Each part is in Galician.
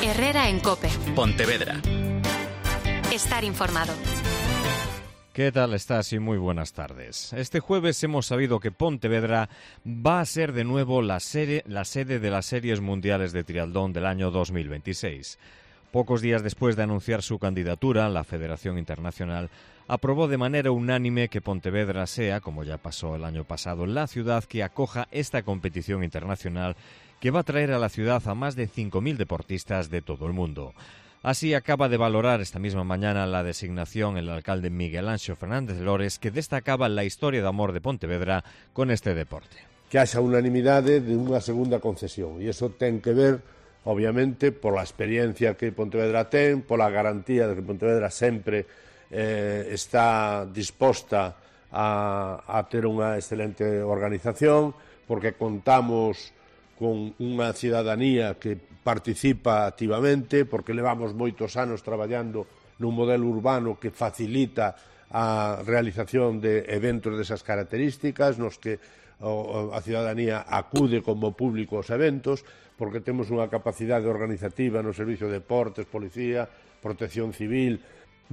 Herrera en COPE. Pontevedra. Estar informado. ¿Qué tal estás? Y muy buenas tardes. Este jueves hemos sabido que Pontevedra va a ser de nuevo la sede de las Series Mundiales de Triatlón del año 2026. Pocos días después de anunciar su candidatura, la Federación Internacional aprobó de manera unánime que Pontevedra sea, como ya pasó el año pasado, la ciudad que acoja esta competición internacional que va a traer a la ciudad a más de 5.000 deportistas de todo el mundo. Así acaba de valorar esta misma mañana la designación el alcalde Miguel Anxo Fernández Lores, que destacaba la historia de amor de Pontevedra con este deporte. Que haxa unanimidade de unha segunda concesión, e iso ten que ver, obviamente, pola experiencia que Pontevedra ten, pola garantía de que Pontevedra sempre está disposta a ter unha excelente organización, porque contamos con unha cidadanía que participa activamente, porque levamos moitos anos traballando nun modelo urbano que facilita a realización de eventos desas características, nos que a cidadanía acude como público aos eventos, porque temos unha capacidade organizativa no servicio de deportes, policía, protección civil.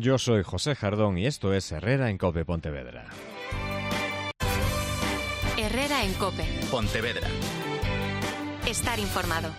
Yo soy José Jardón y esto es Herrera en COPE Pontevedra. Herrera en COPE. Pontevedra. Estar informado.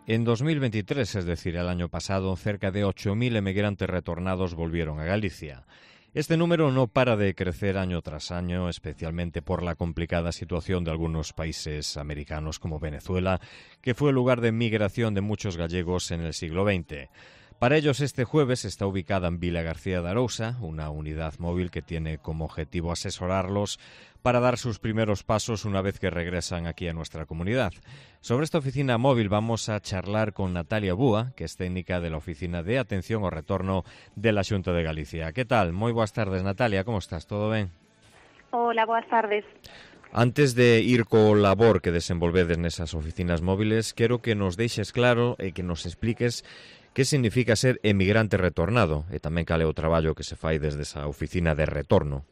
En 2023, es decir, el año pasado, cerca de 8.000 emigrantes retornados volvieron a Galicia. Este número no para de crecer año tras año, especialmente por la complicada situación de algunos países americanos como Venezuela, que fue el lugar de migración de muchos gallegos en el siglo XX. Para ellos, este jueves está ubicada en Vila García de Arousa, una unidad móvil que tiene como objetivo asesorarlos para dar sus primeros pasos una vez que regresan aquí a nuestra comunidad. Sobre esta oficina móvil vamos a charlar con Natalia Búa, que es técnica de la Oficina de Atención ao Retorno de la Xunta de Galicia. ¿Qué tal? Moi boas tardes, Natalia, como estás? Todo ben? Hola, boas tardes. Antes de ir co labor que desenvolvedes nesas oficinas móviles, quero que nos deixes claro e que nos expliques que significa ser emigrante retornado e tamén cal é o traballo que se fai desde esa oficina de retorno.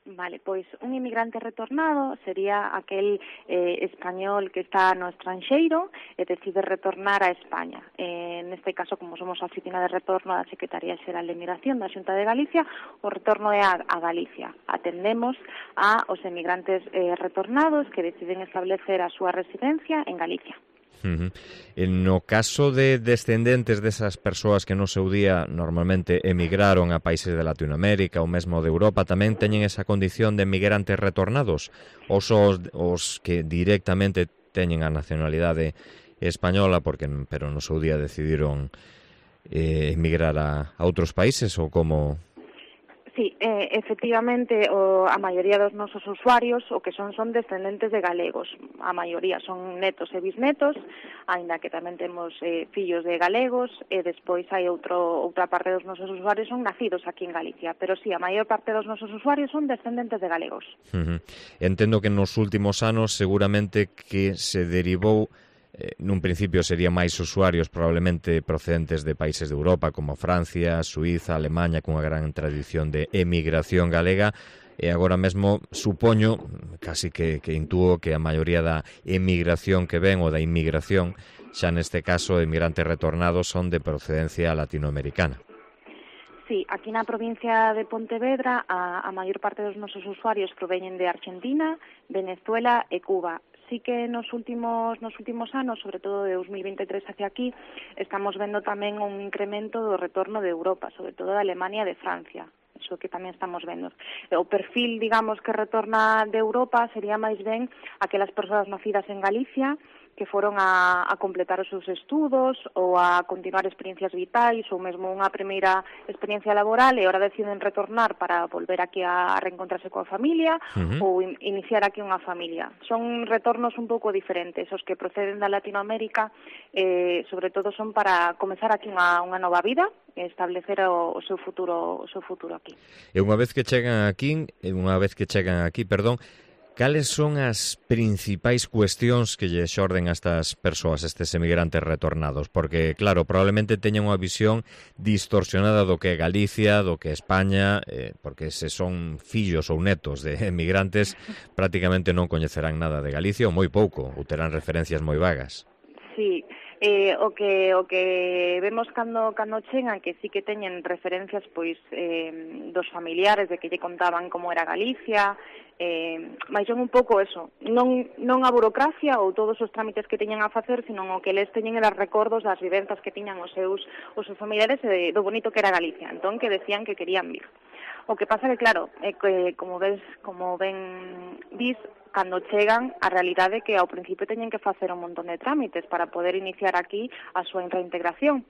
Vale, pois un inmigrante retornado sería aquel español que está no estranxeiro e decide retornar a España. Neste caso, como somos a oficina de retorno da Secretaría Xeral de Migración da Xunta de Galicia, o retorno é a Galicia. Atendemos a os emigrantes retornados que deciden establecer a súa residencia en Galicia. No caso de descendentes desas persoas que no seu día normalmente emigraron a países de Latinoamérica ou mesmo de Europa, tamén teñen esa condición de emigrantes retornados? Ou só os que directamente teñen a nacionalidade española pero no seu día decidiron emigrar a outros países ou como? Sí, efectivamente, a maioría dos nosos usuarios o que son descendentes de galegos. A maioría son netos e bisnetos, aínda que tamén temos fillos de galegos, e despois hai outra parte dos nosos usuarios son nacidos aquí en Galicia. Pero sí, a maior parte dos nosos usuarios son descendentes de galegos. Entendo que nos últimos anos seguramente que se derivou nun principio serían máis usuarios probablemente procedentes de países de Europa como Francia, Suíza, Alemanha, cunha gran tradición de emigración galega, e agora mesmo supoño, casi que intúo que a maioría da emigración que ven ou da inmigración, xa neste caso emigrantes retornados, son de procedencia latinoamericana. Sí, aquí na provincia de Pontevedra a maior parte dos nosos usuarios proveñen de Argentina, Venezuela e Cuba. Sí que nos últimos anos, sobre todo de 2023 hacia aquí, estamos vendo tamén un incremento do retorno de Europa, sobre todo de Alemania e de Francia. Eso que tamén estamos vendo. O perfil, digamos, que retorna de Europa sería máis ben aquelas persoas nacidas en Galicia que foron a completar os seus estudos ou a continuar experiencias vitais ou mesmo unha primeira experiencia laboral e ahora deciden retornar para volver aquí a reencontrarse coa familia ou iniciar aquí unha familia. Son retornos un pouco diferentes. Os que proceden da Latinoamérica sobre todo son para comezar aquí unha nova vida e establecer o seu futuro aquí. E unha vez que chegan aquí, Cales son as principais cuestións que lle xorden a estas persoas, estes emigrantes retornados? Porque, claro, probablemente teñan unha visión distorsionada do que é Galicia, do que é España, porque se son fillos ou netos de emigrantes, prácticamente non coñecerán nada de Galicia ou moi pouco, ou terán referencias moi vagas. Sí, o que vemos cando chegan, que sí que teñen referencias pois dos familiares de que lle contaban como era Galicia, mais son un pouco eso, non a burocracia ou todos os trámites que teñan a facer, sino o que les teñen eran recordos das vivenzas que tiñan os seus familiares do bonito que era Galicia, entón que decían que querían vir. O que pasa que, claro, que como ben dis, cando chegan, a realidade é que ao principio teñen que facer un montón de trámites para poder iniciar aquí a súa reintegración.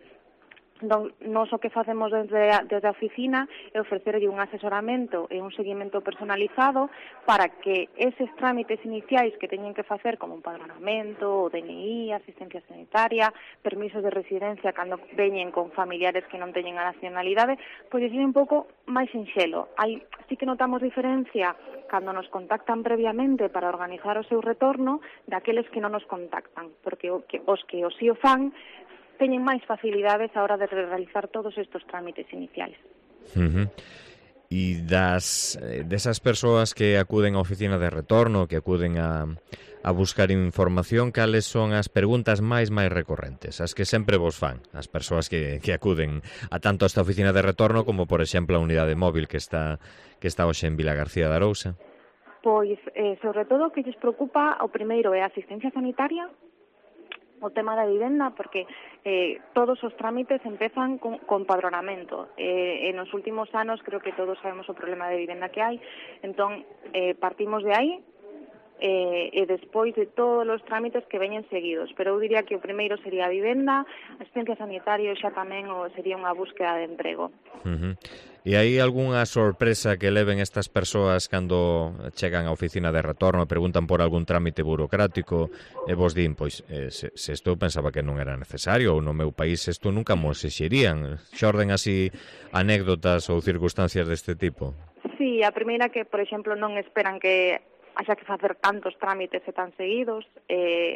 Nos o que facemos desde a oficina é ofrecerlle un asesoramento e un seguimento personalizado para que eses trámites iniciais que teñen que facer, como un padronamento, o DNI, asistencia sanitaria, permisos de residencia cando veñen con familiares que non teñen a nacionalidade, pois é un pouco máis sinxelo. Sí que notamos diferencia cando nos contactan previamente para organizar o seu retorno daqueles que non nos contactan, porque os que o fan teñen máis facilidades a hora de realizar todos estes trámites iniciais. E desas persoas que acuden á oficina de retorno, que acuden a buscar información, cales son as preguntas máis recorrentes, as que sempre vos fan, as persoas que acuden a tanto a esta oficina de retorno como, por exemplo, a unidade móvil que está hoxe en Vilagarcía de Arousa? Pois, sobre todo, o que lles preocupa, o primeiro é a asistencia sanitaria, o tema da vivenda, porque todos os trámites empezan con padronamento. En os últimos anos creo que todos sabemos o problema de vivenda que hai, entón partimos de aí e despois de todos os trámites que veñen seguidos, pero eu diría que o primeiro sería a vivenda, a asistencia sanitaria, xa tamén sería unha búsqueda de emprego. E hai algunha sorpresa que leven estas persoas cando chegan á oficina de retorno e preguntan por algún trámite burocrático e vos din, pois, se isto pensaba que non era necesario ou no meu país isto nunca mo exixirían? Xorden así anécdotas ou circunstancias deste tipo? Sí, a primeira que, por exemplo, non esperan que haxa que facer tantos trámites e tan seguidos,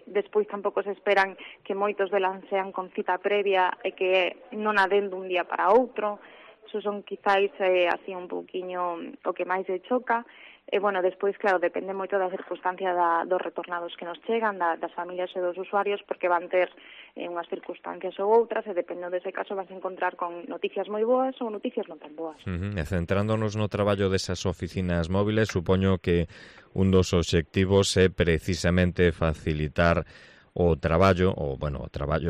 despois tampouco se esperan que moitos delas sean con cita previa e que non aden dun día para outro. Eso son quizáis así un pouquiño o que máis se choca. E, bueno, despois, claro, depende moito da circunstancia dos retornados que nos chegan, das familias e dos usuarios, porque van ter unhas circunstancias ou outras, e depende dese caso vas a encontrar con noticias moi boas ou noticias non tan boas. E centrándonos no traballo desas oficinas móviles, supoño que un dos obxectivos é precisamente facilitar o traballo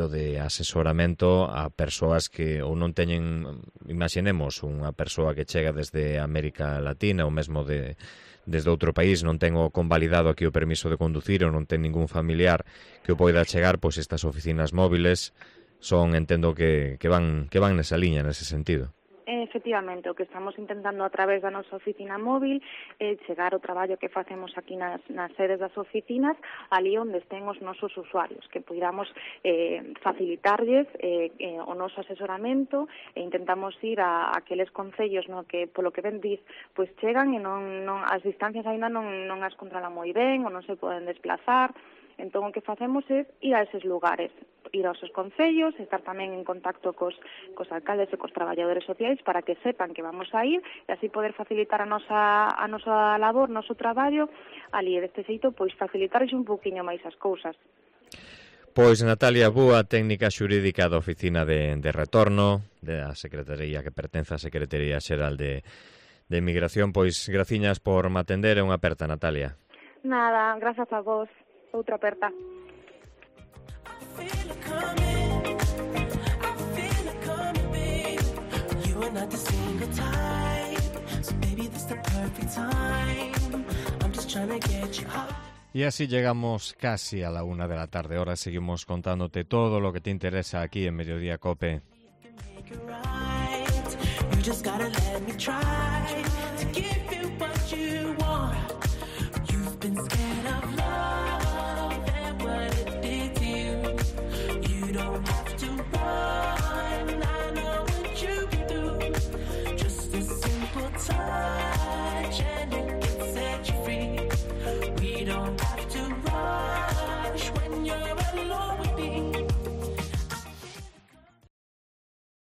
de asesoramento a persoas que ou non teñen, imaginemos, unha persoa que chega desde América Latina ou mesmo desde outro país, non ten o convalidado aquí o permiso de conducir ou non ten ningún familiar que o poida chegar, pois estas oficinas móviles son, entendo que van nesa liña, nese sentido. Efectivamente, o que estamos intentando a través da nosa oficina móvil é chegar o traballo que facemos aquí nas sedes das oficinas ali onde estén os nosos usuarios, que podamos facilitarlles o noso asesoramento e intentamos ir a aqueles concellos no que, polo que ben diz, pois chegan e non as distancias aínda non as controlan moi ben ou non se poden desplazar. Entón, o que facemos é ir a eses lugares, ir aos concellos, estar tamén en contacto cos alcaldes e cos traballadores sociais para que sepan que vamos a ir e así poder facilitar a nosa labor, noso traballo, ali, e deste xeito, pois facilitarles un pouquiño máis as cousas. Pois Natalia Búa, técnica xurídica da Oficina de Retorno, da Secretaría que pertence á Secretaría Xeral de Emigración, pois graciñas por me atender, é unha aperta, Natalia. Nada, grazas a vos. Outra aperta. Y así llegamos casi a la 1 de la tarde. Ahora seguimos contándote todo lo que te interesa aquí en Mediodía Cope. You just gotta let me try to give you what you want.